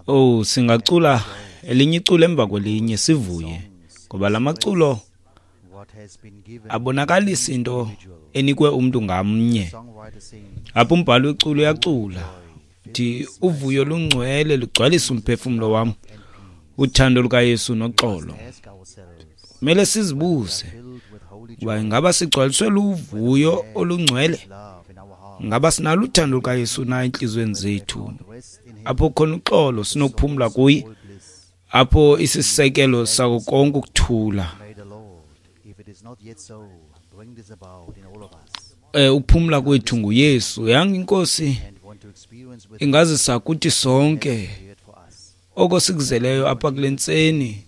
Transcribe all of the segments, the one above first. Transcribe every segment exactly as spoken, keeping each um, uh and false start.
Oh, singacula elinye iculo emva kwelinye sivuye, ngoba la maculo abonakalisa into enikwe umntu ngamnye. Apho umbhali weculo uyacula uthi uvuyo lungcwele lugcwalisa umphefumlo wam, uthando lukaYesu noxolo. Kumele sizibuze uba ingaba sigcwaliswe luvuyo olungcwele, ngaba sinalo uthando lukaYesu na entliziyweni zethu, apho khona uxolo sinokuphumla kuye, apho isisekelo sako konke ukuthula. Eh ukuphumla kwethu nguYesu. Yanga inkosi ingazisa kuthi sonke oko sikuzeleyo apha kule ntseni,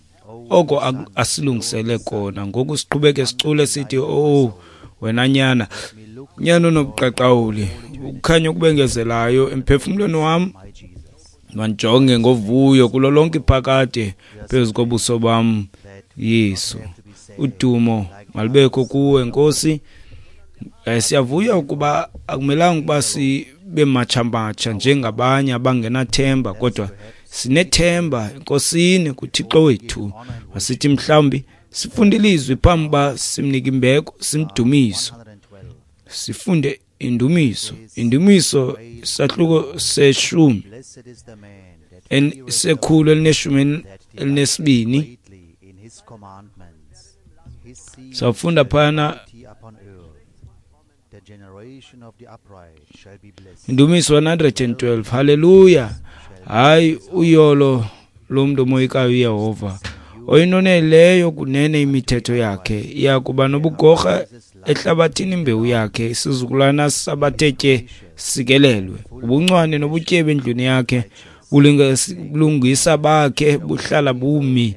oko asilungisele kona. Ngoku siqhubeke sicule sithi, oh wena nyana, nyana onobuqaqawuli, ukukhanya okubengezelayo emphefumlweni wam, mandijonge ngovuyo kulo lonke iphakade phezu kobuso bam Yesu. Udumo malubekho kuwe Nkosi. Eh, siyavuya ukuba akumelanga ukuba sibe matsha-matsha njengabanye abangenathemba, kodwa sinethemba eNkosini kuThixo wethu. Masithi mhlawumbi sifunde ilizwi phambi uba simnike imbeko, simdumiso. Sifunde indumiso, indumiso isahluko seshumi sekhulu elineshumi elinesibini. Sawufunda phana Indumiso one hundred and twelve. Haleluya. Hayi uyolo lomntu omoyikayo uYehova, oyinoneleyo kunene imithetho yakhe. Iya kuba nobugorha ehlabathini imbewu yakhe, isizukulwana sabathe tye sikelelwe. Ubuncwane nobutyebi endlwini yakhe, ubulungisa bakhe buhlala bumi.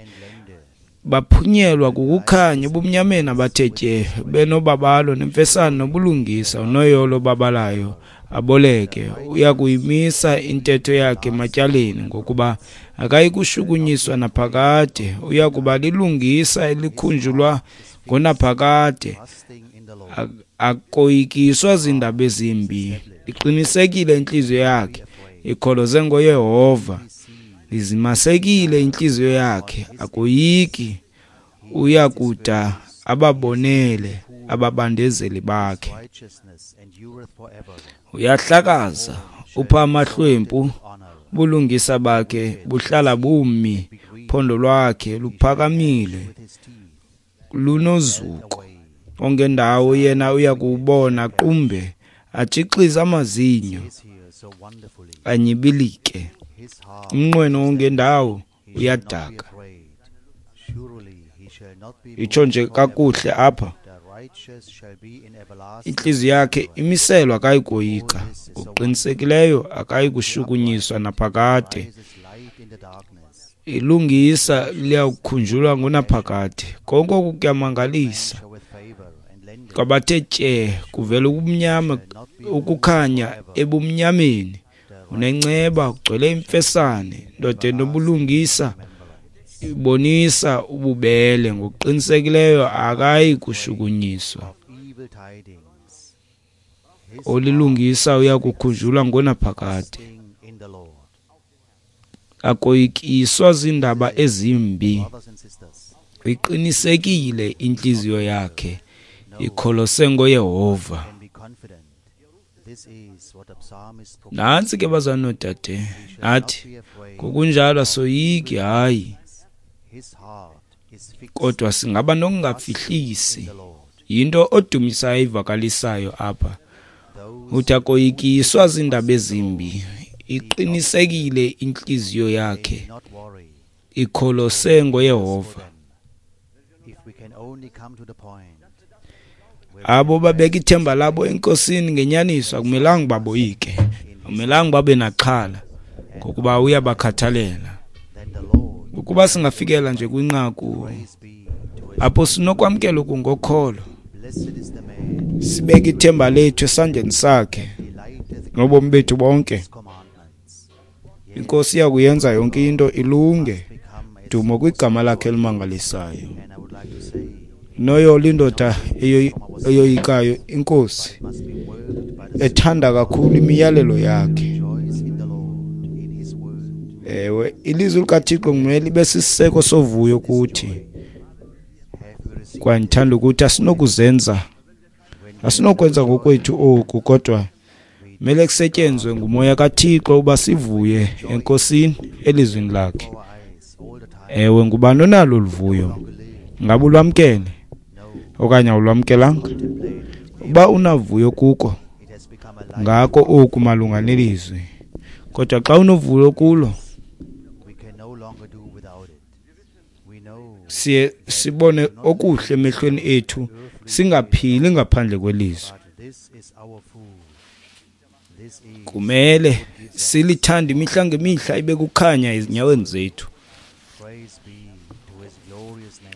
Baphunyelwa kukukhanya ebumnyameni abathe tye, benobabalo nemfesane nobulungisa. Unoyolo babalayo aboleke, uya kuyimisa intetho yakhe ematyaleni, ngokuba akayi kushukunyiswa naphakade. Uya kuba lilungisa elikhunjulwa ngonaphakade, akoyikiswa zindaba ezimbi. Iqinisekile intliziyo yakhe, ikholoze ngoYehova. Izimasekile intliziyo yakhe, akoyiki. Uya kuda ababonele ababandezeli bakhe. Uyahlakaza upha amahlwempu, ubulungisa bakhe buhlala bumi. Phondo lwakhe luphakamile lunozuko. Ongendawo yena uya kuwubona qumbe, atshixize amazinyo anyibilike. Umnqweno wongendawo uyadaka. Itsho nje kakuhle apha, intliziyo yakhe imiselwa akayi koyika, ngokuqinisekileyo akayi kushukunyiswa naphakade. Ilungisa liyakukhunjulwa ngonaphakade. Konke oku kuyamangalisa. Kwabathe tye kuvela ubumnyama, ukukhanya ebumnyameni. Unenceba, ugcwele imfesane, ndoda enobulungisa ibonisa ububele. Ngokuqinisekileyo akayi kushukunyiswa. Olilungisa uya kukhunjulwa ngonaphakade, akoyikiswa zindaba ezimbi. Iqinisekile intliziyo yakhe, ikholose ngoYehova. Nantsi ke bazalwane noodade, nathi ngokunjalo asoyiki, hayi, kodwa singaba nokungafihlisi. Yinto odumisayo ivakalisayo apha. Uthi akoyikiswa zindaba ezimbi, iqinisekile intliziyo yakhe, ikholose ngoYehova. Abo babeka ithemba labo eNkosini ngenyaniso akumelanga baboyike, akumelanga babe naxhala, ngokuba uyabakhathalela. Ukuba singafikela nje kwinqaku apho sinokwamkela okungokholo, sibeke ithemba lethu esandleni sakhe nobomi bethu bonke, iNkosi iya kuyenza yonke into ilunge. Dumo kwigama lakhe elimangalisayo. Noyolo indoda eyoyikayo iNkosi, ethanda kakhulu imiyalelo yakhe. Ewe, ilizwi likaThixo kumele libe sisiseko sovuyo kuthi. Kwaye ndithanda ukuthi asinokuzenza, asinokwenza ngokwethu oku, kodwa kumele kusetyenzwe nguMoya kaThixo uba sivuye eNkosini elizwini lakhe. Ewe, ngubani onalo oluvuyo? Ngabe ulwamkele okanye awulwamkelanga? Uba unavuyo kuko, ngako oku malunga nelizwi. Kodwa xa unovuyo kulo, siye sibone okuhle emehlweni ethu, singaphili ngaphandle kwelizwi. Kumele silithande imihla ngemihla, ibe kukhanya ezinyaweni zethu.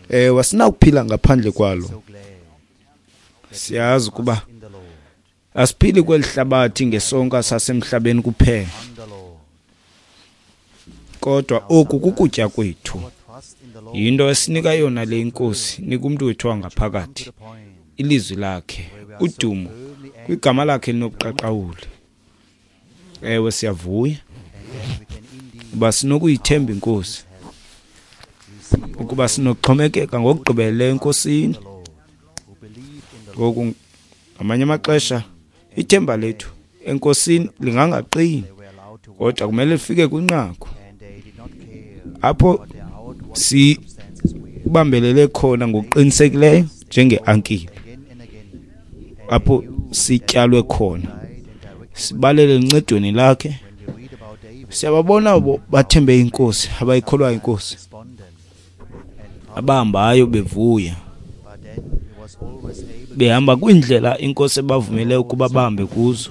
Ewe, asinakuphila ngaphandle kwalo. Siyazi ukuba asiphili kweli hlabathi ngesonka sasemhlabeni kuphela, kodwa oku kukutya kwethu. Yinto esinika yona le iNkosi, nika umntu wethu wangaphakathi ilizwi lakhe, udumo kwigama lakhe elinobuqaqawuli. Ewe, siyavuya uba sinokuyithemba iNkosi, ukuba sinokuxhomekeka ngokugqibeleleyo eNkosini. Ngoku ngamanye amaxesha ithemba lethu eNkosini lingangaqini, kodwa kumele lifike kwinqaku apho sibambelele khona ngokuqinisekileyo njengeankile, apho sityalwe khona, sibalele encedweni lakhe. Siyababona abo bathembe iNkosi, abayikholwayo iNkosi, abahambayo bevuya, behamba kwiindlela iNkosi ebavumele ukuba bahambe kuzo.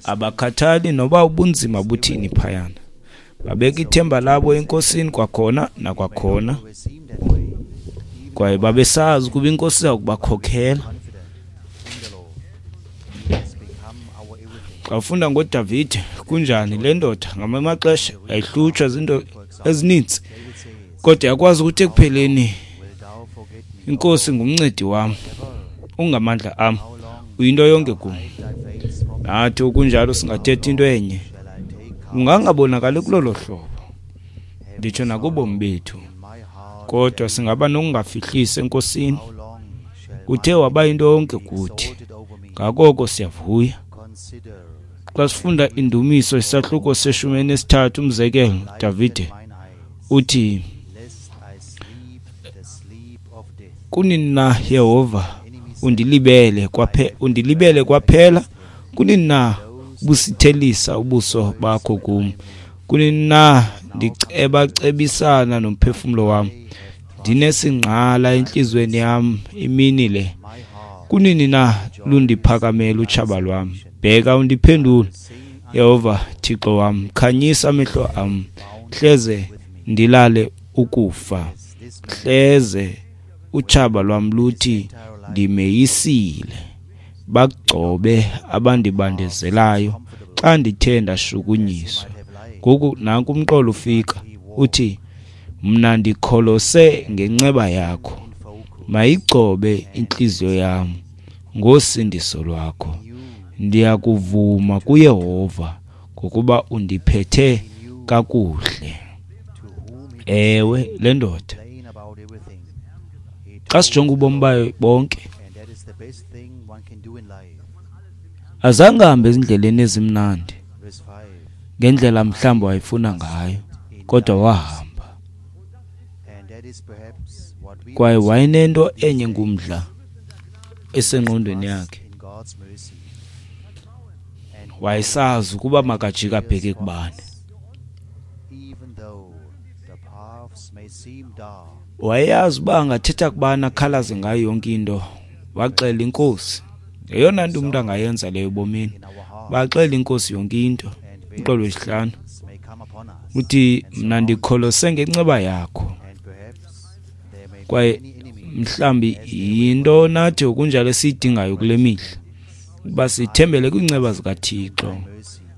Abakhathali noba ubunzima buthini phayana, babeka ithemba labo eNkosini kwakhona nakwakhona, kwaye babesazi ukuba iNkosi iza kubakhokhela. Xa ufunda ngoDavide, kunjani le ndoda ngamanye amaxesha yayihlutshwa zinto ezininzi, kodwa yakwazi ukuthi ekupheleni, iNkosi ngumncedi wam, ungamandla am, uyinto yonke kum. Nathi okunjalo singathetha into enye, kungangabonakali kulolo hlobo, nditsho nakubomi bethu, kodwa singaba nokungafihlisi eNkosini. Uthe waba yinto yonke kuthi, ngakoko siyavuya. Xa sifunda iNdumiso isahluko seshumi elinesithathu, umzekelo, Davide uthi, kunini na Yehova undilibele kwaphe undilibele kwaphela? Kunini na busithelisa ubuso bakho kum? Kunini na ndicebacebisana nomphefumlo wam, ndinesingqala entliziyweni yam imini le? Kunini na lundiphakamela utshaba lwam? Bheka undiphendule, Yehova Thixo wam, khanyisa amehlo am, hleze ndilale ukufa, hleze utshaba lwam luthi ndimeyisile, bagcobe abandibandezelayo xa ndithe ndashukunyiswa. Ngoku nanku umqolo ufika, uthi, mna ndikholose ngenceba yakho, mayigcobe intliziyo yam ngosindiso lwakho. Ndiyakuvuma kuYehova ngokuba undiphethe kakuhle. Ewe, le ndoda xa sijonga ubomi bayo bonke, azange ahambe ezindleleni ezimnandi ngendlela mhlawumbi wayefuna ngayo, kodwa wahamba. Kwaye wayenento enye ngumdla esengqondweni yakhe. Wayesazi ukuba makajike abheke kubani. Wayeyazi uba angathetha kubani akhalaze ngayo yonke into. Waxela iNkosi. Yeyona nto umntu angayenza leyo ebomini, baxela iNkosi yonke into. Umqolo wesihlanu uthi, mna ndikholose ngenceba yakho. Kwaye mhlawumbi yinto nathi okunjalo esiyidingayo kule mihla, ukuba sithembele kwiinceba zikaThixo,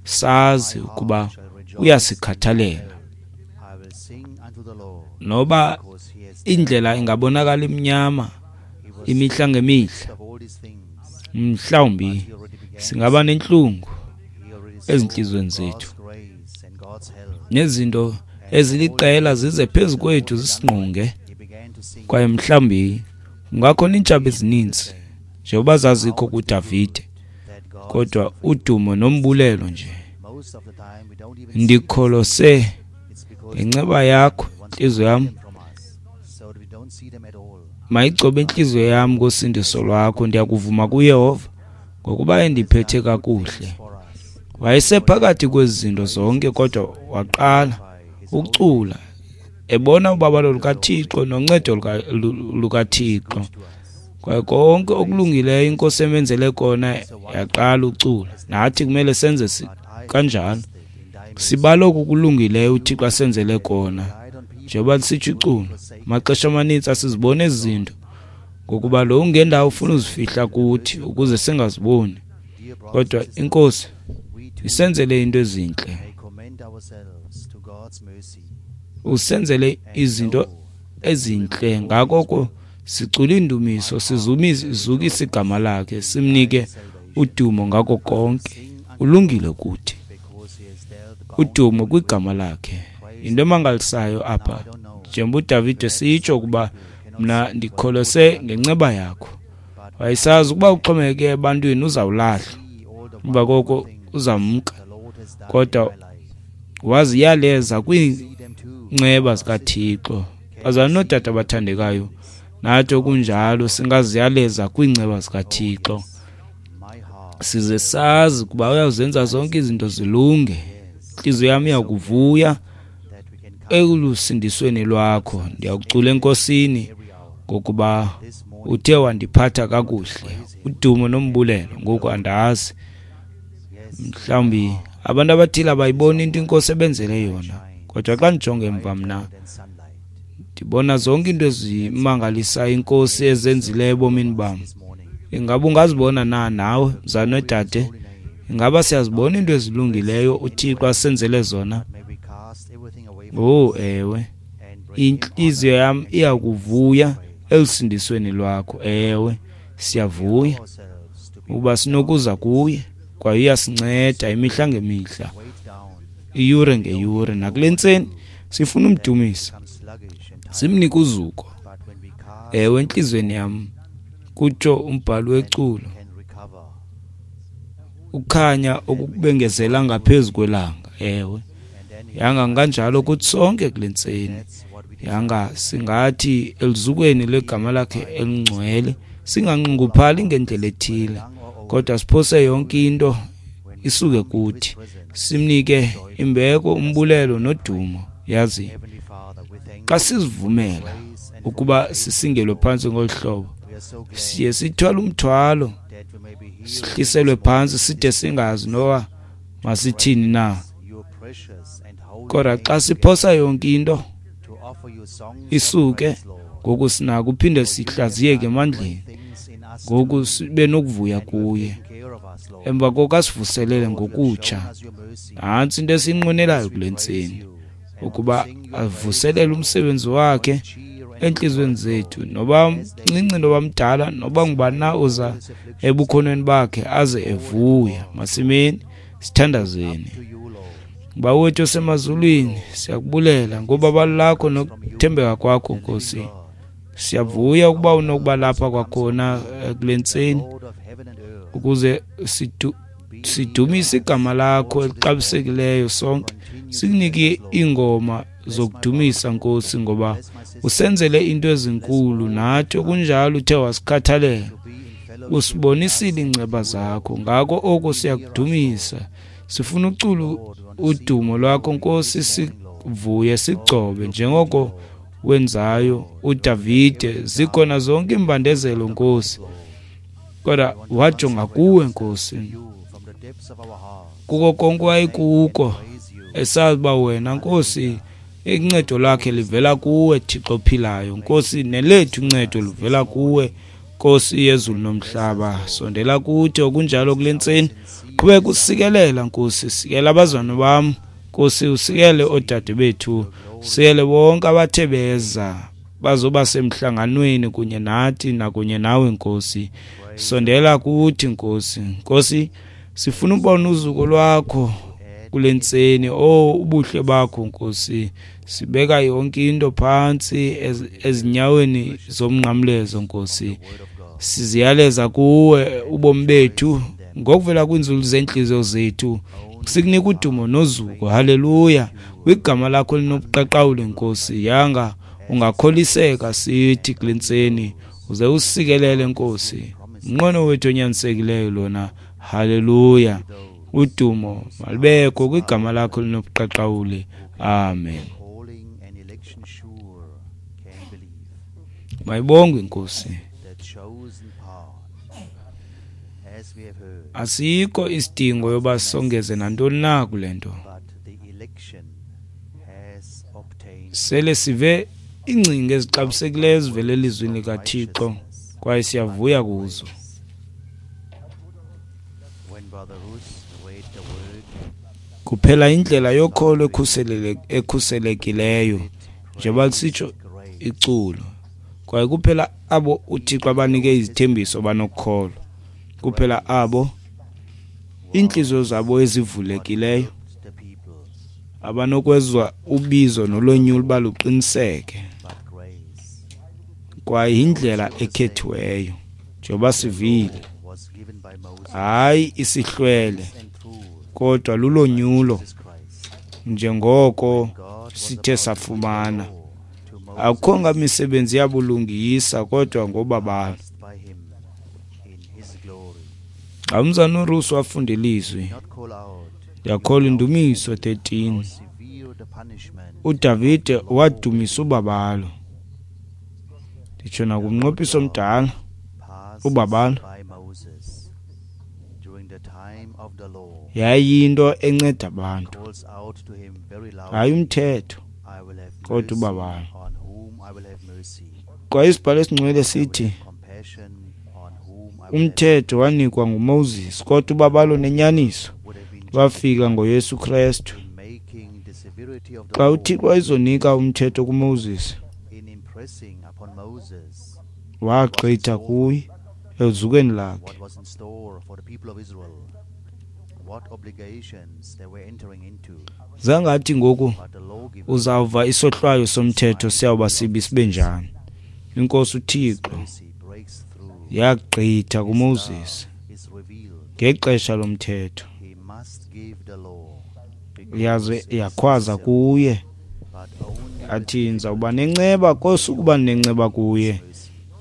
sazi ukuba uyasikhathalela. Noba indlela ingabonakala imnyama imihla ngemihla, mhlawumbi singaba nentlungu ezintliziyweni zethu, Nezinto eziliqela zize phezu kwethu zisingqonge, kwaye mhlawumbi kungakhona iintshaba ezininzi njengoba zazikho kuDavide, kodwa udumo nombulelo nje. Ndikholose ngenceba yakho, intliziyo yam mayigcobe intliziyo yam ngosindiso lwakho. Ndiyakuvuma kuYehova ngokuba endiphethe kakuhle. Wayesephakathi kwezi zinto zonke, kodwa waqala ukucula ebona ubabalo lukaThixo noncedo lukaThixo. Kwaye konke okulungileyo iNkosi emenzele kona, yaqala ucula. Nathi kumele senze kanjalo, sibale oku kulungileyo uThixo asenzele kona. Njengoba lisitsho iculo, amaxesha amanintsi asiziboni ezi zinto, ngokuba lo ungendawo ufuna uzifihla kuthi ukuze singaziboni. Kodwa iNkosi isenzele into ezintle, usenzele izinto ezintle. Ngako sicula indumiso, sizukise igama lakhe, simnike udumo ngako konke. Ulungile kuthi, udumo kwigama lakhe. Into emangalisayo apha, njengoba uDavide sitsho ukuba mna ndikholose ngenceba yakho. Wayesazi ukuba uxhomekeke ebantwini uzawulahlwa, emva koko uzamka, kodwa waziyaleza kwiinceba zikaThixo. Bazalwane nootata abathandekayo, nathi okunjalo singaziyaleza kwiinceba zikaThixo, size sazi ukuba uyazenza zonke izinto zilunge. Intliziyo yam iyakuvuya elusindisweni lwakho. Ndiyakucula eNkosini ngokuba uthe wandiphatha kakuhle. Udumo nombulelo. Ngoku andazi, mhlawumbi abantu abathile abayiboni into iNkosi ebenzele yona, kodwa xa ndijonge emva mna ndibona zonke into ezimangalisayo iNkosi ezenzileyo ebomini bam. Ingaba ungazibona na nawe, mzalwane nodade? Ingaba siyazibona into ezilungileyo uThixo asenzele zona? Oh ewe, intliziyo yam iyakuvuya elusindisweni lwakho. Ewe, siyavuya ukuba sinokuza kuye, kwaye uyasinceda imihla ngemihla, iyure ngeyure. Nakule ntseni sifuna umdumisa, simnike uzuko. Ewe, entliziyweni yam, kutsho umbhali weculo, ukhanya okubengezela ngaphezu kwelanga. Ewe, yanga kanjalo kuthi sonke kule ntseni. Yanga singathi eluzukweni lwegama lakhe elingcwele, singanxunguphali ngendlela ethile, kodwa siphose yonke into isuke kuthi, simnike imbeko, umbulelo nodumo. Yazi, xa sizivumela ukuba sisingelwe phantsi ngolu hlobo, siye sithwale umthwalo, sihliselwe phantsi side singazi noba masithini na. Kodwa xa siphosa yonke into isuke, ngoku sinako uphinde sihlaziyeke emandleni, ngoku sibe nokuvuya kuye. Emva koko asivuselele ngokutsha. Nantsi into esiyinqwenelayo kule ntseni, ukuba avuselele umsebenzi wakhe entliziyweni zethu, noba mncinci noba mdala, noba ngubani na uza ebukhonweni bakhe aze evuya. Masimeni sithandazeni. Bawo wethu osemazulwini, siyakubulela ngobabalo lakho nokuthembeka kwakho, Nkosi. Siyavuya ukuba unokuba lapha kwakhona kule ntseni ukuze sidu sidumise igama lakho elixabisekileyo sonke. Sikunike iingoma zokudumisa, Nkosi, ngoba usenzele into ezinkulu, nathi okunjalo uthe wasikhathalela, usibonisile iinceba zakho. Ngako oko siyakudumisa, sifuna ucula udumo lwakho, Nkosi, sivuye sigcobe njengoko wenzayo uDavide. Zikhona zonke iimbandezelo, Nkosi, kodwa wajonga kuwe, Nkosi, kuko konke wayekuko, esazi uba wena, Nkosi, incedo lakhe livela kuwe, Thixo ophilayo. Nkosi, nelethu uncedo livela kuwe, Nkosi yezulu nomhlaba. Sondela kuthi okunjalo kule ntseni, qhubeka usikelela, Nkosi. Sikela abazalwane bam, Nkosi, usikele oodade bethu, usikele bonke abathe beza bazoba semhlanganweni kunye nathi nakunye nawe, Nkosi. Sondela kuthi, Nkosi. Nkosi, sifuna ubona uzuko lwakho kule ntseni. Oh, ubuhle bakho Nkosi, sibeka yonke into phantsi ezinyaweni zomnqamlezo Nkosi. Siziyaleza kuwe ubomi bethu ngokuvela kwiinzulu zeentliziyo zethu, sikunika udumo nozuko. Haleluya, kwigama lakho elinobuqaqawuli Nkosi. Yanga ungakholiseka sithi kule ntseni, uze usikelele Nkosi. Umnqweno wethu onyanisekileyo lona. Haleluya, udumo malubekho kwigama lakho elinobuqaqawuli. Amen. Mayibongwe iNkosi. Asikho isidingo yoba songeze nantoni na kule nto. Sele sive iingcinga ezixabisekileyo ezivela elizwini likaThixo kwaye siyavuya kuzo. Kuphela indlela yokholo ekhuselekileyo, njengoba lisitsho iculo, kwaye kuphela abo uThixo abanike izithembiso banokukholwa, kuphela abo iintliziyo zabo ezivulekileyo abanokwezwa ubizo nolonyulo uba luqiniseke. Kwaye yindlela ekhethiweyo, njengoba sivile, hayi isihlwele, kodwa lulonyulo njengoko sithe safumana. Akukho ngamisebenzi yabulungisa, kodwa ngobabalo. Xa umzana uRusi wafunda ilizwi, ndiyakholwa iNdumiso thirteen, uDavide wadumisa ubabalo. Nditsho nakumnqophiso omdala, ubabalo yayiyinto enceda abantu, hayi umthetho, kodwa ubabalo. Kwaye isibhalo esingcwele sithi umthetho wanikwa nguMoses, kodwa ubabalo nenyaniso lwafika ngoYesu Kristu. Xa uThixo wayezonika umthetho kuMoses, wagqitha kuye ezukweni lakhe. Zangathi ngoku uzawuva isohlwayo somthetho siyawuba sibi sibe njani. INkosi uThixo yagqitha kuMoses ngexesha lomthetho, yaze yakhwaza kuye athi, ndizawuba nenceba kosukuba nenceba kuye,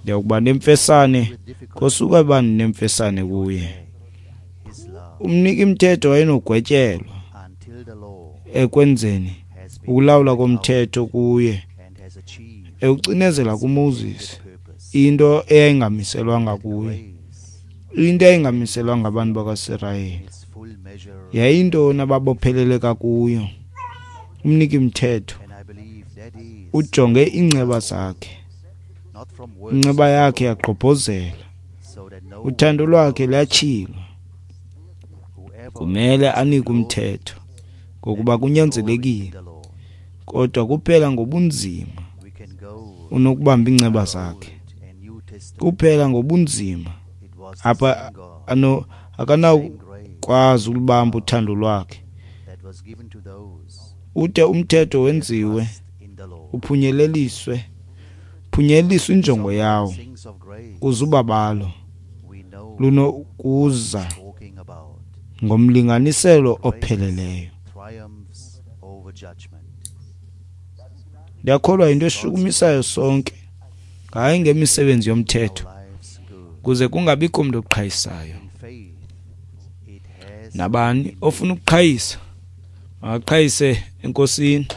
ndiyakuba nemfesane kosuka uba nemfesane kuye. Umniki mthetho wayenogwetyelwa ekwenzeni ukulawula komthetho kuye, ewucinezela kuMoses into eyayingamiselwanga kuye, into eyayingamiselwanga abantu bakaSirayeli. Yayintoni ababopheleleka kuyo? Umniki mthetho ujonge iinceba zakhe, inceba yakhe yagqobhozela, uthando lwakhe luyatshilwa. Kumele anike umthetho ngokuba kunyanzelekile, kodwa kuphela ngobunzima unokubamba iinceba zakhe, kuphela ngobunzima apha ano akanawukwazi ulubamba uthando lwakhe. Ude umthetho wenziwe uphunyeleliswe, phunyeleliswe injongo yawo, kuze ubabalo lunokuza ngomlinganiselo opheleleyo. Ndiyakholwa yinto eshukumisayo sonke, hayi ngemisebenzi yomthetho, kuze kungabikho mntu oqhayisayo. Nabani ofuna ukuqhayisa makaqhayise eNkosini.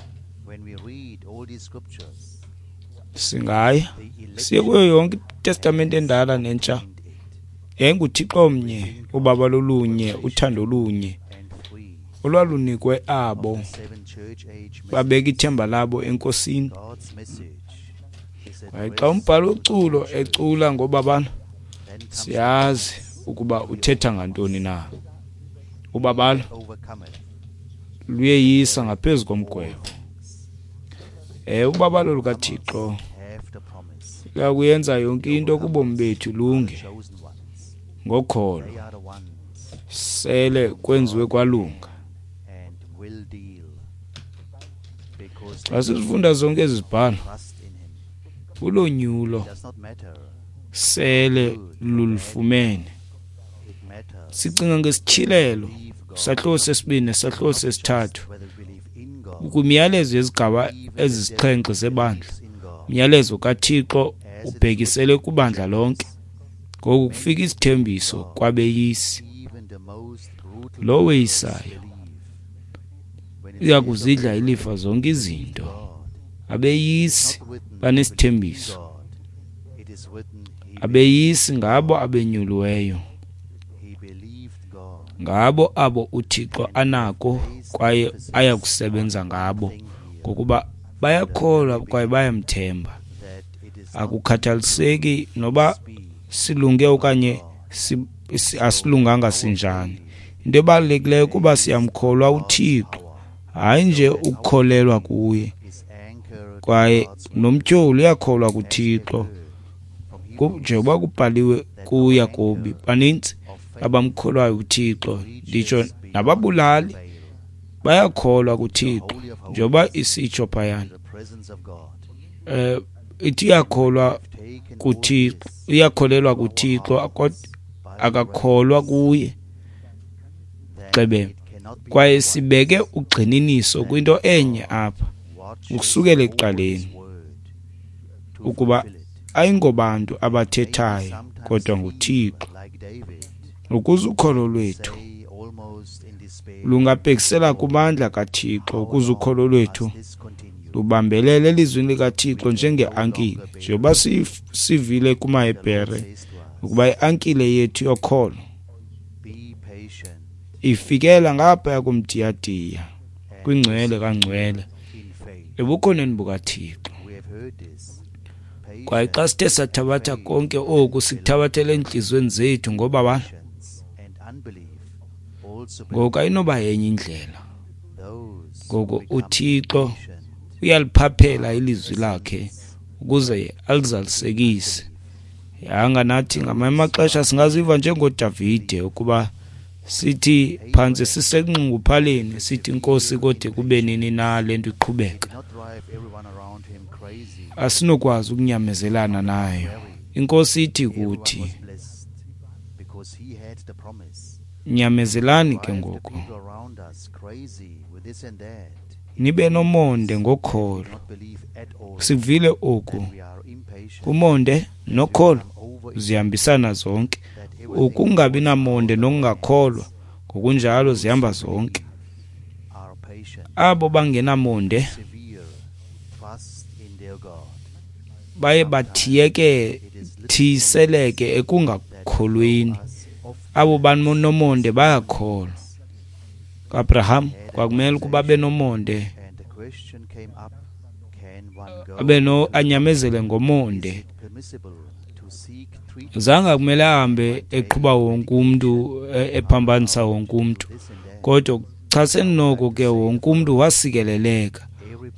Singaya siye kuyo yonke iTestamente endala nentsha, yayinguThixo omnye, ubabalo olunye, uthando olunye olwalunikwe abo babeka ithemba labo eNkosini. Kwaye xa umbhalo weculo ecula ngobabalo, siyazi ukuba uthetha ngantoni na. Ubabalo luyeyisa ngaphezu komgwebo. Eh, ubabalo lukaThixo luyakuyenza yonke into kubomi bethu lunge ngokholo, sele kwenziwe kwalunga. Xa sizifunda zonke ezi zibhalo, ulonyulo sele lulufumene. Sicinga ngesityhilelo, sahluko sesibini nesahluko sesithathu, kwimiyalezo yezigaba ezisixhenxe zebandla. Umyalezo kaThixo ubhekisele kubandla lonke. Ngoku kufika isithembiso kwabeyisi. Lo weyisayo uya kuzidla ilifa zonke izinto. Abeyisi banesithembiso. Abeyisi ngabo abenyuliweyo, ngabo abo uThixo anako kwaye ayakusebenza ngabo, ngokuba bayakholwa kwaye bayamthemba. Akukhathaliseki noba silunge okanye asilunganga sinjani, into ebalulekileyo kuba siyamkholwa uThixo, hayi nje ukukholelwa kuye. Kwaye nomtyholi uyakholwa kuThixo, njengoba kubhaliwe kuYakobi, banintsi abamkholwayo uThixo, nditsho nababulali bayakholwa kuThixo, njengoba isitsho phayana. Eh, ithi uyakholwa kuThixo, uyakholelwa kuThixo, akakholwa kuye. Xebe kwaye sibeke ugxininiso kwinto enye apha ukusukela ekuqaleni, ukuba ayingobantu abathethayo kodwa nguThixo, ukuze ukholo lwethu lungabhekisela kumandla kaThixo, ukuze ukholo lwethu lubambelele elizwini likaThixo njengeankile, njengoba sivile kumaHebhere ukuba iankile yethu yokholo ifikela ngaphaya kumdiyadiya kwingcwele kangcwele ebukhoneni bukaThixo. Kwaye xa sithe sathabatha konke oku, sikuthabathele entliziyweni zethu ngoba ngoku ayinoba yenye indlela. Ngoku uThixo uyaliphaphela ilizwi lakhe ukuze alizalisekise. Yanga nathi ngamanye amaxesha singaziva njengoDavide, ukuba sithi phantsi sisenxunguphaleni, sithi Nkosi, kode kube nini na le nto iqhubeka? Asinokwazi ukunyamezelana nayo. Inkosi ithi kuthi, nyamezelani ke ngoku, nibe nomonde ngokholo. Sivile oku, umonde nokholo zihambisana zonke. Ukungabi namonde nokungakholwa ngokunjalo zihamba zonke. Abo bangenamonde baye bathiyeke thiseleke ekungakholweni. Abo banomonde bayakholwa. Abraham kwakumele ukuba abe nomonde, abe no anyamezele ngomonde. Zange kumele ahambe eqhuba wonke umntu, ephambanisa wonke umntu, kodwa chaseni noko ke wonke umntu wasikeleleka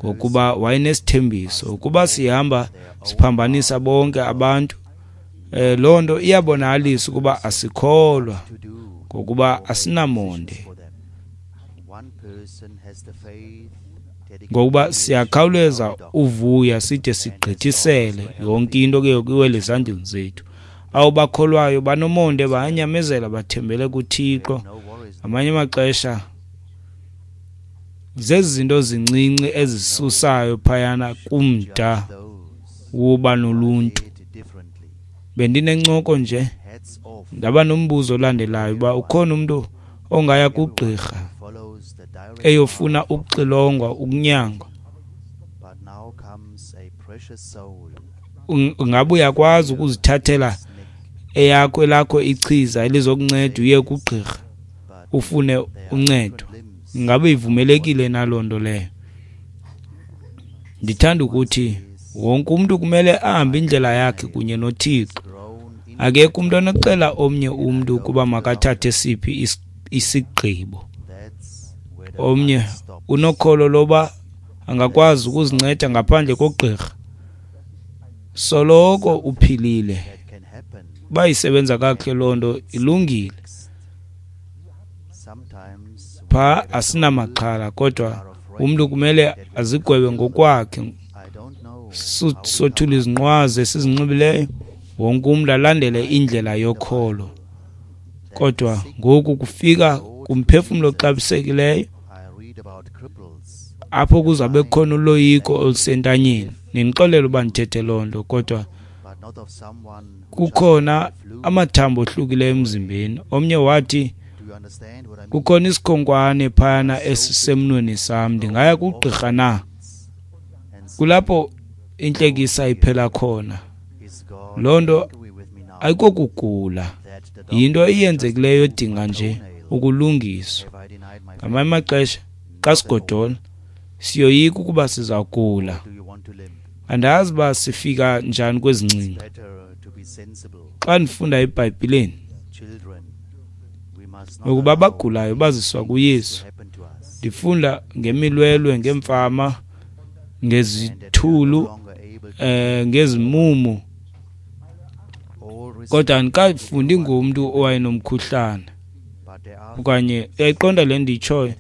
ngokuba wayenesithembiso. Ukuba sihamba siphambanisa bonke abantu, eh loo nto iyabonakalisa ukuba asikholwa, ngokuba asinamonde, ngokuba siyakhawuleza uvuya side sigqithisele yonke into ke kuwele ezandleni zethu. Abo bakholwayo banomonde, bayanyamezela, bathembele kuThixo. Amanye amaxesha zezi zinto zincinci ezisusayo phayana kumda woba noluntu. Bendinencoko nje, ndaba nombuzo olandelayo uba ukhona umntu ongaya kugqirha eyofuna ukuxilongwa, ukunyangwa, ungabe uyakwazi ukuzithathela eyakho elakho ichiza elizokunceda uye kugqirha ufune uncedo? Ngabe ivumelekile naloo nto leyo? Ndithanda ukuthi wonke umntu kumele ahambe indlela yakhe kunye noThixo. Akekho umntu onokuxela omnye umntu ukuba makathathe siphi isigqibo. Omnye unokholo loba angakwazi ukuzinceda ngaphandle kogqirha. Soloko uphilile, bayisebenza kakuhle loo nto, ilungile. Pha asinamaxhala, kodwa Umntu kumele azigwebe ngokwakhe. Sothula izinqwazi esizinxibileyo, wonke umntu alandele indlela yokholo. Kodwa ngoku kufika kumphefumlo oxabisekileyo, apho kuzabe kukhona uloyiko olusentanyeni. Nindixolele uba ndithethe loo nto, kodwa kukhona amathambo ohlukileyo emzimbeni. Omnye wathi kukhona isikhonkwane phayana esisemnweni sam, ndingaya kugqirha na? Kulapho intlekisa iphela khona. Loo nto ayikokugula, yinto eyenzekileyo edinga nje ukulungiswa. Ngamanye amaxesha xa sigodola siyoyika ukuba sizawugula. Andazi uba sifika njani kwezi ngcinga. Xa ndifunda eBhayibhileni ukuba abagulayo baziswa kuYesu, ndifunda ngemilwelwe, ngeemfama, ngezithulu, eh ngezimumu, kodwa andikafundi ngomntu owayenomkhuhlane okanye uyayiqonda le ndiyitshoyo.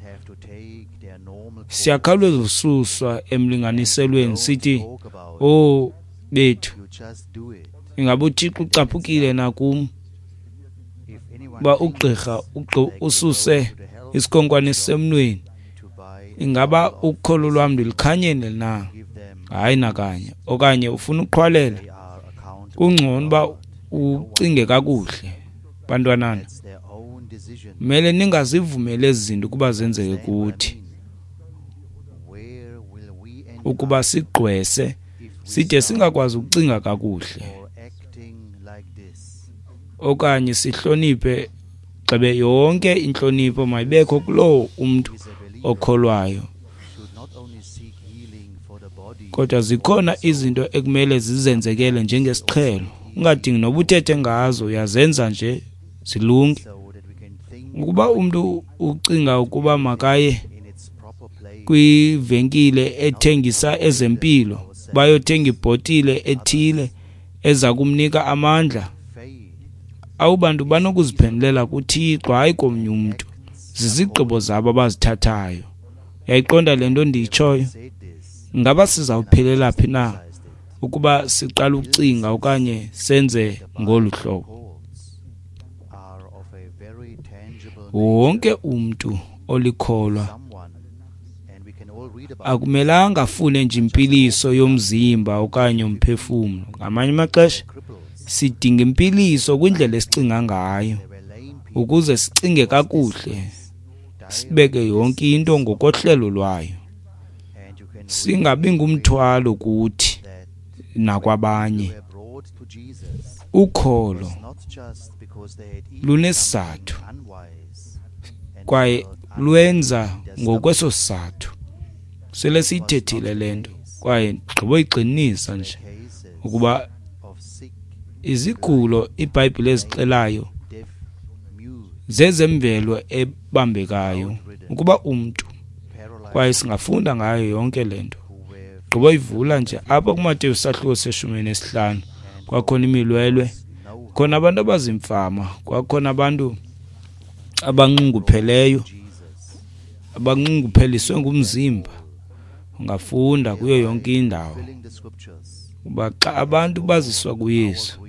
Siyakhawuleza ususwa emlinganiselweni sithi, oh bethu, ingaba uThixo ucaphukile na kum uba ugqirha ususe isikhonkwane esisemnweni? Ingaba ukholo lwam ndilukhanyele na? Hayi nakanye. Okanye ufuna uqhwalela? Kungcono uba ucinge kakuhle, bantwanana. Mele ningazivumeli ezi zinto ukuba zenzeke kuthi, ukuba sigqwese side singakwazi ukucinga kakuhle okanye sihloniphe. Gxebe yonke intlonipho mayibekho kulowo umntu okholwayo, kodwa zikhona izinto ekumele zizenzekele njengesiqhelo, ungadingi noba uthethe ngazo, uyazenza nje zilunge. Ukuba umntu ucinga ukuba makaye kwivenkile ethengisa ezempilo bayothenga ibhotile ethile eza kumnika amandla, abo bantu banokuziphendulela kuThixo, hayi komnye umntu. Zizigqibo zabo abazithathayo. Uyayiqonda le nto ndiyitshoyo? Ngaba sizawuphelela phi na ukuba siqala ukucinga okanye senze ngolu hlobo? Wonke umntu olikholwa akumelanga afune nje impiliso yomzimba okanye umphefumlo. Ngamanye amaxesha sidinga impiliso kwindlela esicinga ngayo, ukuze sicinge kakuhle, sibeke yonke into ngokohlelo lwayo, singabi ngumthwalo kuthi nakwabanye. Ukholo lunesizathu kwaye lwenza ngokweso sizathu. Sele siyithethile le nto kwaye ndigqiboyigxininisa nje ukuba izigulo iBhayibhile ezixelayo zezemvelo ebambekayo ukuba umntu, kwaye singafunda ngayo yonke le nto. Gqiboyivula nje apha kuMateyu isahluko seshumi nesihlanu, kwakhona imilwelwe, khona abantu abazimfama, kwakhona abantu abanxungupheleyo, abanxungupheliswe ngumzimba. Ungafunda kuyo yonke indawo uba xa abantu baziswa kuYesu,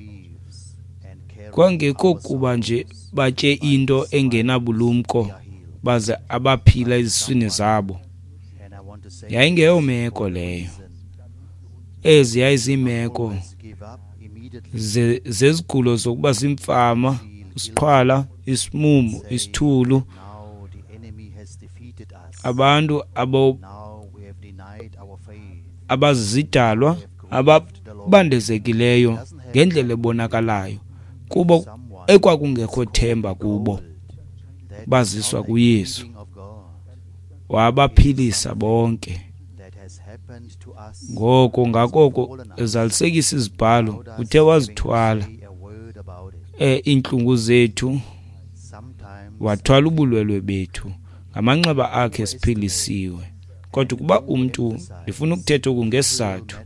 kwangekho kuba nje batye into engenabulumko baze abaphila eziswini zabo. Yayingeyomeko leyo. Ezi yayiziimeko zezigulo zokuba zimfama, isiqhwala, isimumu, isithulu, abantu abo abazizidalwa ababandezekileyo ngendlela ebonakalayo kubo ekwakungekho themba kubo, baziswa kuYesu, wabaphilisa bonke. Ngoko ngakoko ezalisekisa izibhalo, uthe wazithwala eh iintlungu zethu, wathwala ubulwelwe bethu, ngamanxeba akhe siphilisiwe. Kodwa ukuba umntu, ndifuna ukuthetha oku ngesizathu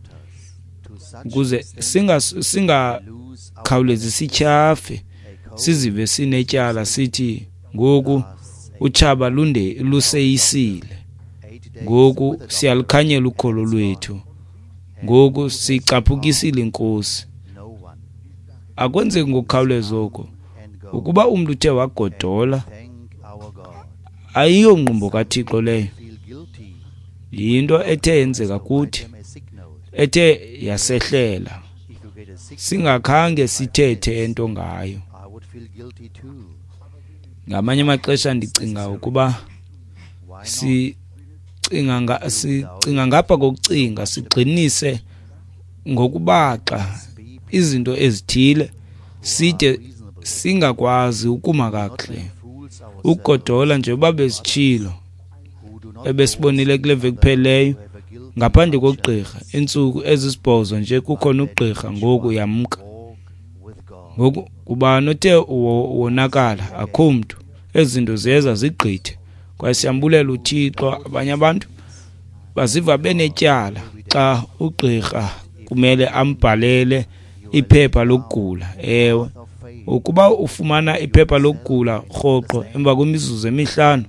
ukuze singa singakhawulezi sityhafe, sizive sinetyala, sithi ngoku utshaba lunde luseyisile. Ngoku siyalukhanyela ukholo lwethu, ngoku sicaphukisile iNkosi. Akwenzeki ngokukhawuleza oko. Ukuba umntu uthe wagodola, ayiyongqumbo kaThixo leyo, yinto ethe yenzeka kuthi, ethe yasehlela, singakhange sithethe into ngayo. Ngamanye amaxesha ndicinga ukuba sicinga sicinga ngapha kokucinga, sigxinise ngokubaxa izinto ezithile side singakwazi ukuma kakuhle. Ukugodola nje uba besitshilo ebesibonile kule veki kupheleyo, ngaphandle kogqirha, iintsuku ezisibhozo nje kukhona ugqirha, ngoku yamka. Ngoku ubani othe wonakala? Akho mntu. Ezi zinto ziyeza zigqithe, kwaye siyambulela uThixo. Abanye abantu baziva benetyala xa ugqirha kumele ambhalele iphepha lokugula. Ewe, ukuba ufumana iphepha lokugula rhoqo emva kwemizuzu emihlanu,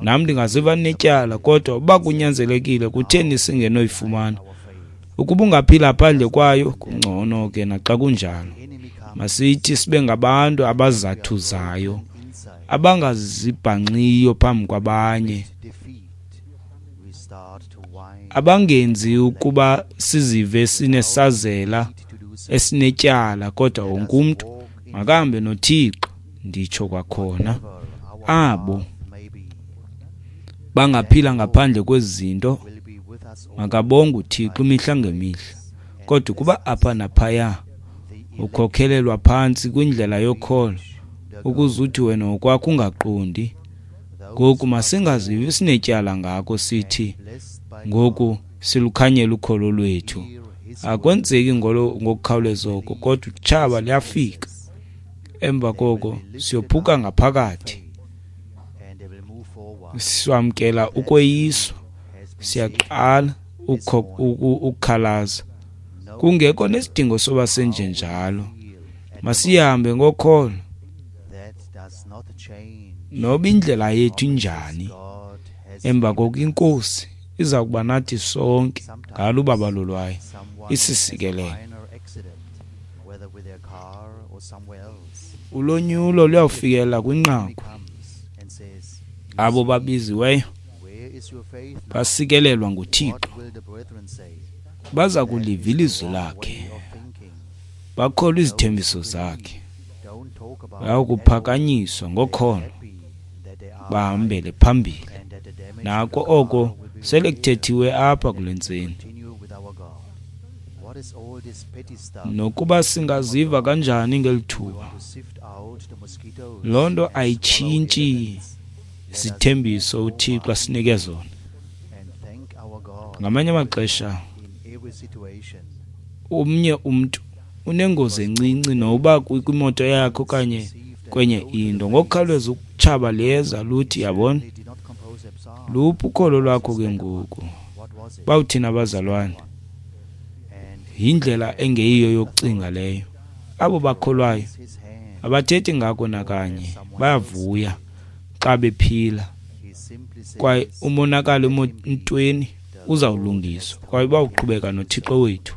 nam ndingaziva netyala, kodwa uba kunyanzelekile, kutheni singenoyifumana? Ukuba ungaphila phandle kwayo, kungcono ke naxa kunjalo. Masithi sibe ngabantu abazathuzayo, abangazibhanxiyo phambi kwabanye, abangenzi ukuba sizive sinesazela esinetyala, kodwa wonke umntu makahambe noThixo. Nditsho kwakhona, abo bangaphila ngaphandle kwezi zinto makabonge uThixo imihla ngemihla. Kodwa ukuba apha naphaya ukhokhelelwa phantsi kwindlela yokholo, ukuze uthi wena ngokwakho ungaqondi, ngoku masingazivi sinetyala ngako, sithi ngoku silukhanyela ukholo lwethu. Akwenzeki ngokukhawuleza oko, kodwa utshaba luyafika. Emva koko siyophuka ngaphakathi, siwamkela ukweyiswa, siyaqala ukukhalaza, kungekho nesidingo soba senjenjalo. Masihambe ngokholo, noba indlela yethu injani. Emva koko iNkosi iza kuba nathi sonke ngalo ubabalo lwayo, isisikelele. Ulonyulo luyawufikelela kwinqaku. Abo babiziweyo basikelelwa nguThixo, baza kuliva ilizwi lakhe, bakholwa izithembiso zakhe, bayakuphakanyiswa ngokholo, bahambele phambili. Nako oko sele kuthethiwe apha kule ntseni. Nokuba singaziva kanjani ngeli thuba, loo nto ayitshintshi isithembiso uThixo asinike zona. Ngamanye amaxesha omnye umntu unengozi encinci, noba kwimoto yakhe okanye kwenye into, ngokukhawuleza utshaba liyeza luthi, yabona, luphi ukholo lwakho ke ngoku? Bawuthina abazalwane, yindlela engeyiyo yokucinga leyo. Abo bakholwayo abathethi ngako nakanye, bayavuya xa bephila, kwaye umonakalo emotweni uzawulungiswa, kwaye bawuqhubeka noThixo wethu.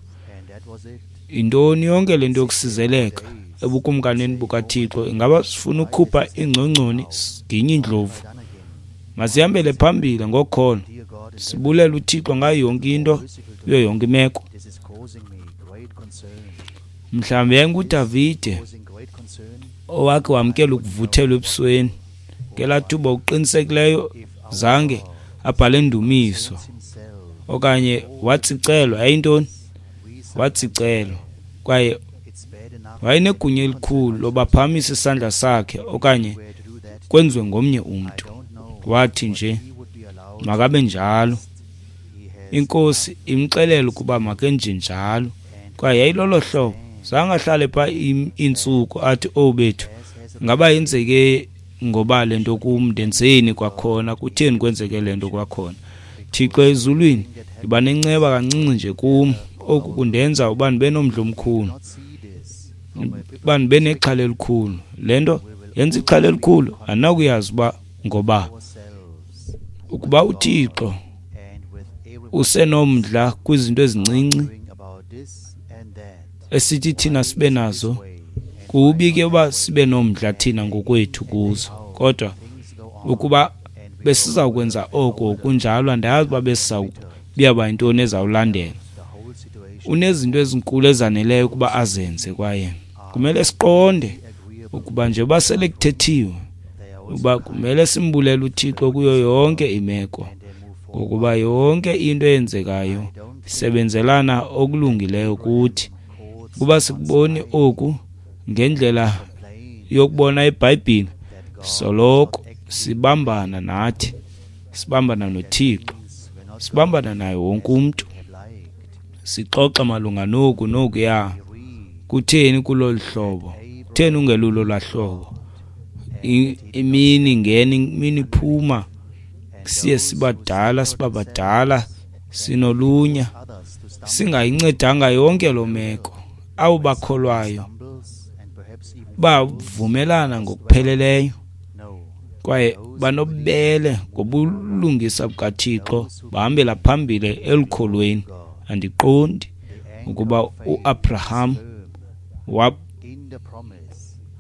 Yintoni yonke le nto yokusizeleka ebukumkanini bukaThixo? Ingaba sifuna ukukhupha iingcongconi siginye iindlovu? Masihambele phambili ngokholo, sibulele uThixo ngayo yonke into, kuyo yonke imeko. Mhlawumbi yayinguDavide owakhe wamkela ukuvuthelwa ebusweni ngelaa thuba, uqinisekileyo zange abhale ndumiso okanye watsicelwa. Yayintoni? Watsicelwa, kwaye wayenegunya elikhulu lobaphakamisa isandla sakhe okanye kwenziwe ngomnye umntu. Wathi nje makabe njalo, iNkosi imxelele ukuba makenje njalo, kwaye yayilolo hlobo. Zange ahlale phaa iintsuku athi, owu bethu, ngaba yenzeke ngoba le nto kum, ndenzeni kwakhona, kutheni kwenzeke le nto kwakhona? Thixo ezulwini, yiba nenceba kancinci nje kum, oku kundenza uba ndibe nomdla omkhulu, uba ndibe nexhala elikhulu. Le nto yenza ixhala elikhulu, andinakuyazi uba ngoba. Ukuba uThixo Usenomdla kwizinto ezincinci esithi thina sibe nazo. Kubi ke uba sibe nomdla thina ngokwethu kuzo, kodwa ukuba besizawukwenza oko kunjalo, andazi uba besizawubiyaba yintoni ezawulandela. Unezinto ezinkulu ezaneleyo ukuba azenze, kwaye kumele siqonde ukuba njengoba sele kuthethiwe ukuba kumele simbulele uThixo kuyo yonke imeko, ngokuba yonke into eyenzekayo isebenzelana okulungileyo kuthi. Kuba sikuboni oku ngendlela yokubona iBhayibhile, soloko sibambana nathi, sibambana noThixo, sibambana naye wonke umntu, sixoxa malunga noku nokuya. Kutheni kulolu hlobo? Kutheni ungelulo lwahlobo? Imini ingena, imini iphuma, siye sibadala, sibabadala, sinolunya, singayincedanga yonke loo meko. Abo bakholwayo bavumelana ngokupheleleyo kwaye banobubele ngobulungisa bukaThixo, bahambela phambili elukholweni. Andiqondi ukuba uAbraham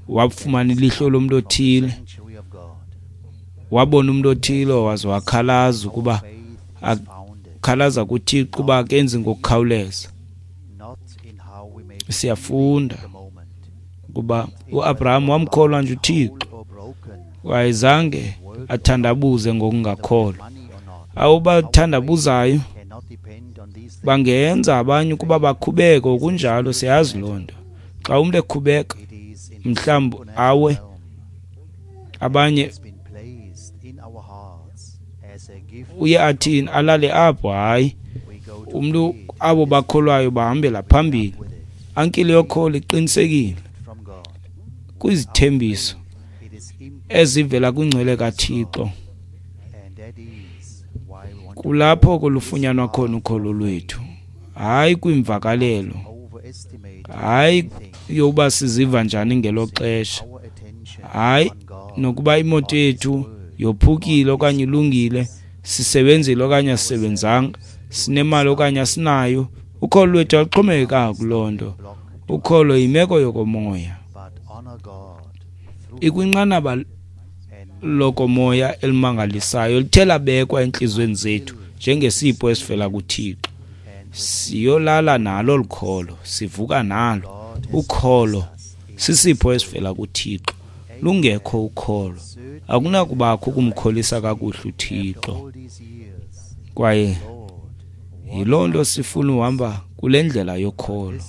wafumana ilihlo lomntu othile, wabona umntu othile waze wakhalaza ukuba akhalaza kuThixo uba akenzi ngokukhawuleza. Siyafunda ukuba uAbraham wamkholwa nje uThixo, wayezange athandabuze ngokungakholwa. Abo bathandabuzayo bangenza abanye ukuba bakhubeke, okunjalo siyazi loo nto. Xa umntu ekhubeka mhlawumbi awe, abanye uye athini? Alale apho. Hayi, umntu abo bakholwayo bahambela phambili. Ankile yokholo iqinisekile kwizithembiso ezivela kwingcwele kaThixo. Kulapho kulufunyanwa khona ukholo lwethu, hayi kwimvakalelo, hayi yokuba siziva njani ngelo xesha, hayi nokuba imoto yethu yophukile okanye ilungile, sisebenzile okanye asisebenzanga, sinemali okanye asinayo. Ukholo lwethu aluxhomekekanga kuloo nto. Ukholo yimeko yokomoya, ikwinqanaba lokomoya elimangalisayo lithe labekwa entliziyweni zethu njengesipho esivela kuThixo. Siyolala nalo lukholo, sivuka nalo. Ukholo sisipho esivela kuThixo. Lungekho ukholo, akunakubakho ukumkholisa kakuhle uThixo. Kwaye yiloo nto sifuna uhamba kule ndlela yokholo,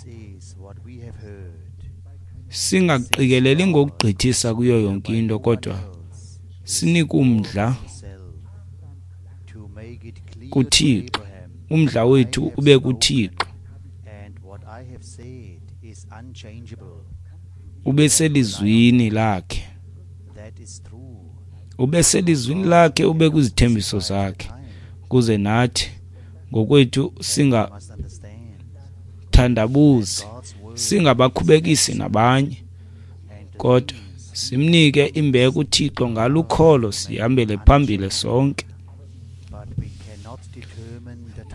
singaqikeleli ngokugqithisa kuyo yonke into, kodwa sinike umdla kuThixo, umdla wethu ube kuThixo, ube selizwini lakhe, ube selizwini lakhe, ube kwizithembiso zakhe, ukuze nathi ngokwethu singathandabuzi, singabakhubekisi nabanye, kodwa simnike imbeko uThixo ngalukholo, sihambele phambili sonke,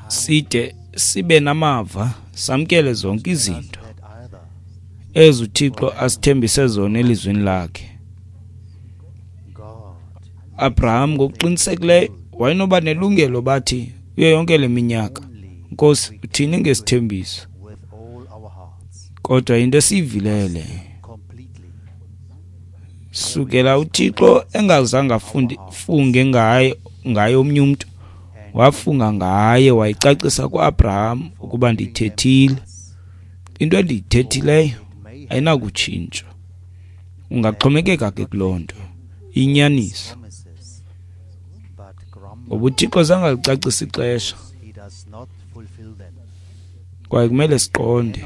side sibe namava, samkele zonke izinto ezi uThixo asithembise zona elizwini lakhe. Abraham ngokuqinisekileyo wayenoba nelungelo bathi kuyo yonke le minyaka, Nkosi, uthini ngesithembiso? Kodwa into esiyivileyo le, sukela uThixo engazange afunde funge ngaye ngaye omnye umntu, wafunga ngaye, wayicacisa kuAbraham ukuba ndithethile. Into endiyithethileyo ayinakutshintshwa. Ungaxhomekeka ke kuloo nto, inyaniso. Ngoba uThixo zange alicacise ixesha, kwaye kumele siqonde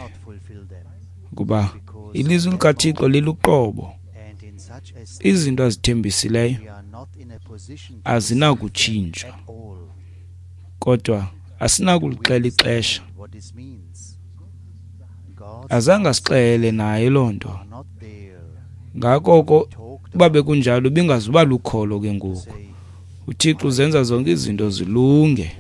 ukuba ilizwi likaThixo liluqobo. Izinto azithembisileyo azinakutshintshwa, kodwa asinakulixela ixesha. Azange asixelele naye loo nto. Ngako oko uba bekunjalo ibingazuba lukholo ke ngoku. uThixo uzenza zonke izinto zilunge.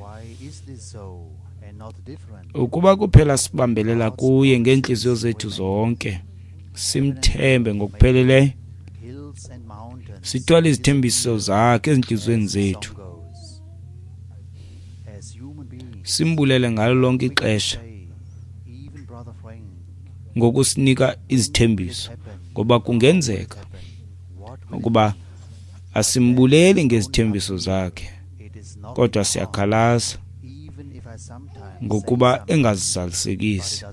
Ukuba kuphela sibambelela kuye ngeentliziyo zethu zonke, simthembe ngokupheleleyo, sithwale izithembiso zakhe ezintliziyweni zethu, simbulele ngalo lonke ixesha ngokusinika izithembiso, ngoba kungenzeka ukuba asimbuleli ngezithembiso zakhe, kodwa siyakhalaza ngokuba engazizalisekisi,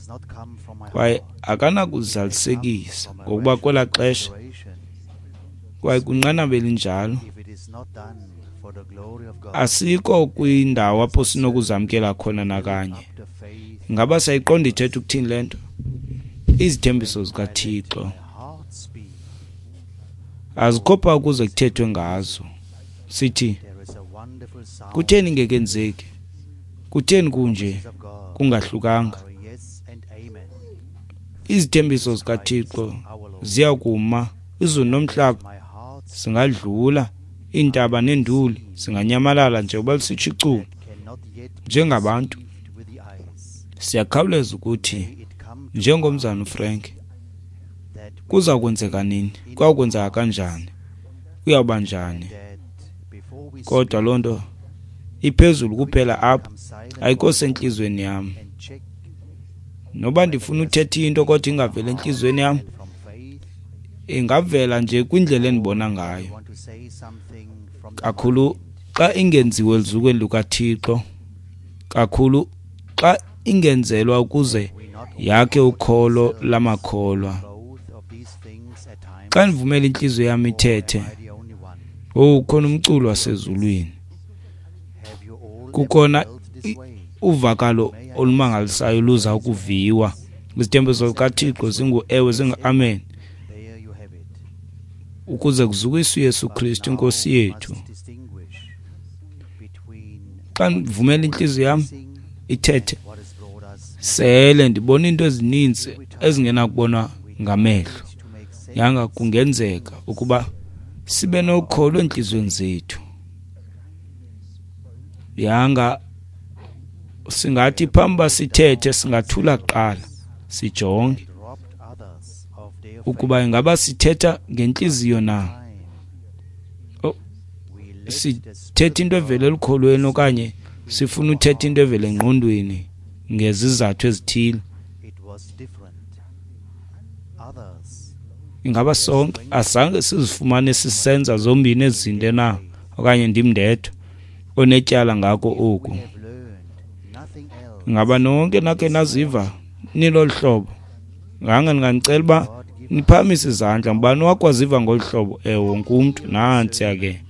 kwaye akanakuzalisekisa ngokuba kwelaa xesha kwaye kwinqanaba elinjalo asikho kwindawo apho sinokuzamkela khona nakanye. Ingaba siyayiqonda ithetha ukuthini le nto? Izithembiso zikaThixo azikho phaa ukuze kuthethwe ngazo. Sithi, kutheni ingekenzeki? Kutheni kunje kungahlukanga? Izithembiso zikaThixo ziya kuma, izulu nomhlaba singadlula, iintaba neenduli zinganyamalala njengoba lisitsho iculo. Njengabantu siyakhawuleza ukuthi, njengomzana uFrank, kuza kwenzeka nini? Kuya kwenzeka kanjani? Kuyawuba njani? Kodwa loo nto iphezulu kuphela apha, ayikho sentliziyweni yam. Noba ndifuna uthetha into kodwa ingaveli entliziyweni yam, ingavela nje kwindlela endibona ngayo. Kakhulu xa ingenziwe eluzukweni lukaThixo, kakhulu xa ingenzelwa ukuze yakhe ukholo lamakholwa. Xa ndivumela intliziyo yam ithethe, oh, ukhona umculo wasezulwini, kukhona uvakalo olumangalisayo luza ukuviwa. Izithembiso zikaThixo zingu-ewe, zingu-amen, ukuze kuzukiswe uYesu Kristu iNkosi yethu. Xa ndivumela intliziyo yam ithethe, sele ndibona iinto ezininzi ezingenakubonwa ngamehlo. Yanga kungenzeka ukuba sibe nokholo entliziyweni zethu. Yanga singathi phambi uba sithethe singathula kuqala, sijonge ukuba ingaba sithetha ngentliziyo na, sithetha into evela elukholweni okanye sifuna uthetha into evela engqondweni ngezizathu ezithile. Ingaba sonke azange sizifumane sisenza zombini ezi zinto na, okanye ndim ndedwa onetyala ngako oku? Ingaba nonke nakhe naziva nilolu hlobo? Nganga ndinganicela uba niphakamise izandla. Ngubani owakwaziva ngolu hlobo? Ewe, wonke umntu. Nantsiya ke.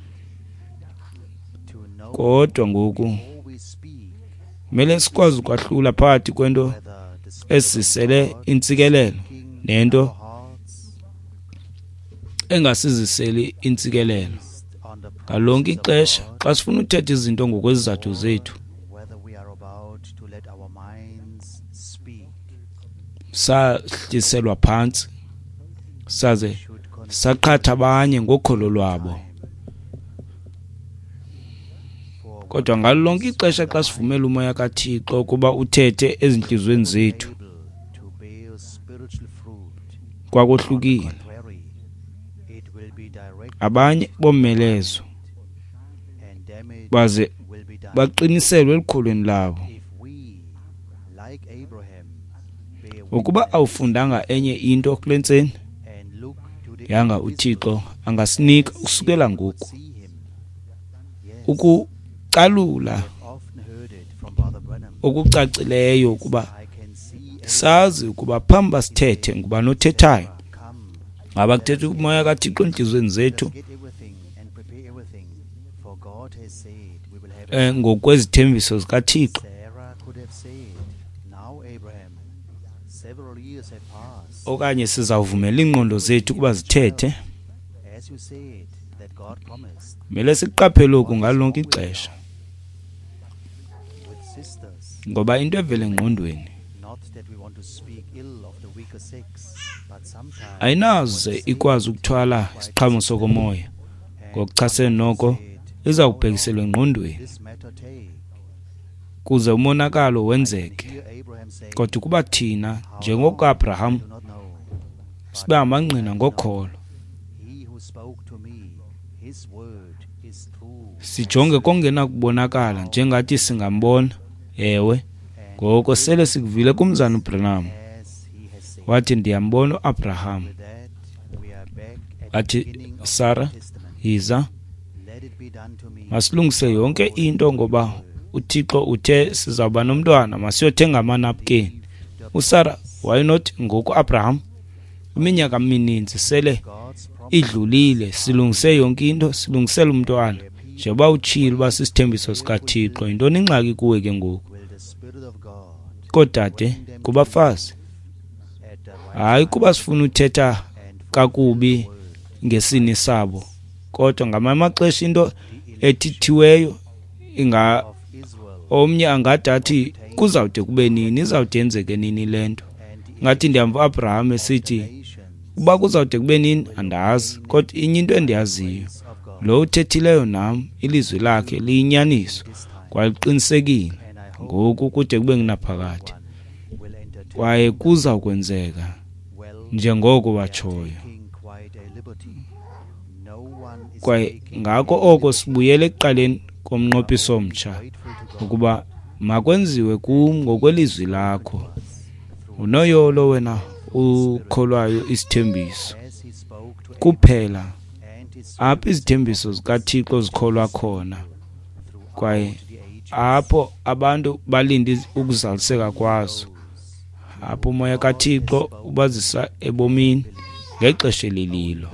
Kodwa ngoku kumele sikwazi ukwahlula phakathi kwento esizisele intsikelelo nento engasiziseli intsikelelo. Ngalonke ixesha xa sifuna uthetha izinto ngokwezizathu zethu, sahliselwa phantsi saze saqhatha abanye ngokholo lwabo. Kodwa ngalo lonke ixesha xa sivumela umoya kaThixo ukuba uthethe ezintliziyweni zethu, kwakohlukile. Abanye bomelezwa baze baqiniselwe elukholweni labo. Ukuba awufundanga enye into kule ntseni, yanga uThixo angasinika ukusukela ngoku ukucalula okucacileyo ukuba sazi ukuba phambi uba sithethe ngubani othethayo. Ngaba kuthetha umoya kaThixo entliziyweni zethu eh ngokwezithembiso zikaThixo? Okanye sizawuvumela iingqondo zethu ukuba zithethe? Kumele siqaphele oku ngalo lonke ixesha, ngoba into evela engqondweni ayinaze ikwazi ukuthwala isiqhamo sokomoya. Ngokuchasene noko iza kubhekiselwa engqondweni Kuze umonakalo wenzeke. Kodwa ukuba thina, njengoAbraham, sibe amangqina ngokholo, sijonge kongenakubonakala njengathi singambona. Ewe, ngoko sele sikuvile kumzana uBranham. Wathi, ndiyambona uAbraham. Wathi, Sara, yiza, masilungise yonke into ngoba uThixo uthe sizawuba nomntwana, masiyothenga amanapukeni. USara wayenothi, ngoku Abraham, iminyaka emininzi sele idlulile, silungise yonke into, silungisele umntwana. Njengoba utshilo uba sisithembiso sikaThixo, yintoni ingxaki kuwe ke ngoku? Koodade, kubafazi, hayi kuba sifuna uthetha kakubi ngesini sabo, kodwa ngamanye amaxesha into ethithiweyo inga omnye angade athi kuzawude kube nini, izawude yenzeke nini le nto. Ngathi ndiyamva uAbraham esithi uba kuzawude kube nini andazi, kodwa inye into endiyaziyo, lo uthethileyo nam ilizwi lakhe liyinyaniso kwaye liqinisekile ngoku kude kube ngunaphakade, kwaye kuza kwenzeka njengoko watshoyo. Kwaye ngako oko sibuyele ekuqaleni komnqophiso omtsha, ukuba makwenziwe kum ngokwelizwi lakho. Unoyolo wena ukholwayo isithembiso kuphela, apho izithembiso zikaThixo zikholwa khona, kwaye apho abantu balinde ukuzaliseka kwazo, apho umoya kaThixo ubazisa ebomini ngexesha elililo,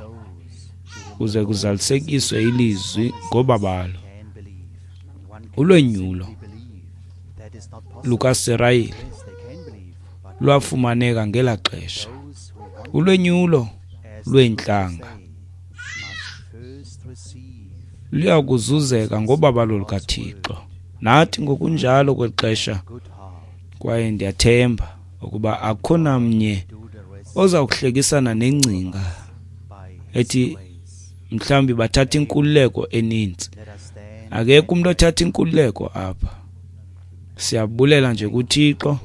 kuze kuzalisekiswe ilizwi ngobabalo. Ulwenyulo lukaSirayeli lwafumaneka ngela xesha. Ulwenyulo lweentlanga luyakuzuzeka ngobabalo lukaThixo. Nathi ngokunjalo kwexesha, kwaye ndiyathemba ukuba akukho namnye oza kuhlekisana nengcinga ethi mhlawumbi bathatha inkululeko eninzi. Akekho umuntu othatha inkululeko apha. Siyabulela nje kuThixo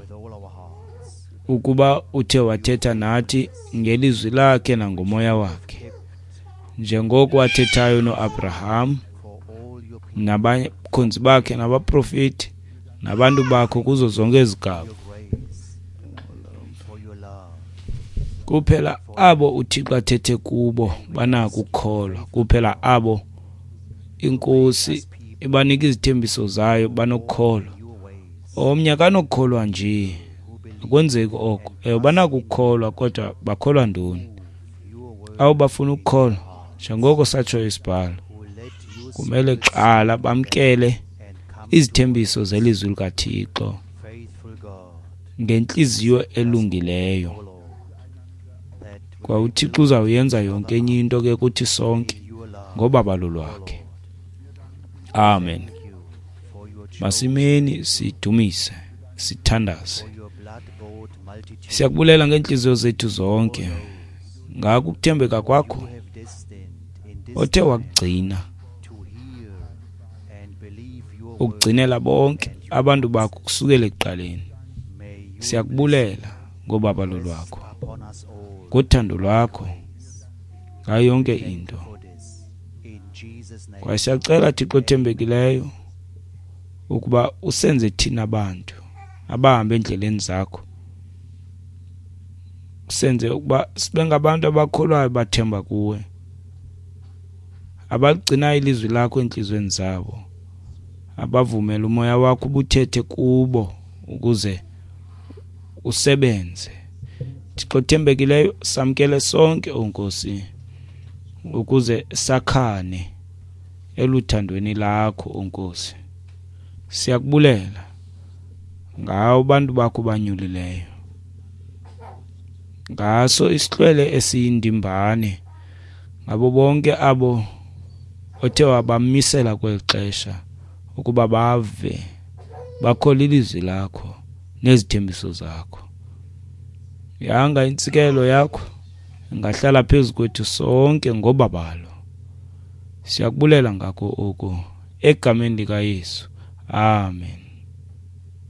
ukuba uthe wathetha nathi ngelizwi lakhe nangomoya wakhe, njengoko wathethayo noAbraham nabakhonzi bakhe nabaprofeti nabantu bakho kuzo zonke izigaba. Kuphela abo uThixo athethe kubo banako ukukholwa, kuphela abo iNkosi ibanika izithembiso zayo banokukholwa. Omnye akanokukholwa nje, akwenzeki oko. Ewe, banako ukukholwa, kodwa bakholwa ntoni? Abo bafuna ukukholwa, njengoko satsho isibhalo, kumele kuqala bamkele izithembiso zelizwi likaThixo ngentliziyo elungileyo. Kwa uThixo uzawuyenza yonke enye into ke kuthi sonke ngobabalo lwakhe. Amen. Masimeni sidumise, sithandaze. Siyakubulela ngeentliziyo zethu zonke ngako ukuthembeka kwakho othe wakugcina, ukugcinela bonke abantu bakho kusukela ekuqaleni. Siyakubulela ngobabalo lwakho, ngothando lwakho, ngayo yonke into. Kwaye siyacela Thixo othembekileyo ukuba usenze thina abantu abahamba endleleni zakho, usenze ukuba sibe ngabantu abakholwayo bathemba kuwe, abaligcinayo ilizwi lakho entliziyweni zabo, abavumela umoya wakho ubuthethe kubo ukuze usebenze. Thixo othembekileyo, samkele sonke, o Nkosi, ukuze sakhane eluthandweni lakho, o Nkosi. Siyakubulela ngawo bantu bakho banyulileyo, ngaso isihlwele esiyindimbane, ngabo bonke abo othe wabamisela kweli xesha ukuba bave bakholwe ilizwi lakho nezithembiso zakho. Yanga intsikelo yakho ingahlala phezu kwethu sonke ngobabalo. Siyakubulela ngako oku egameni likaYesu. Amen.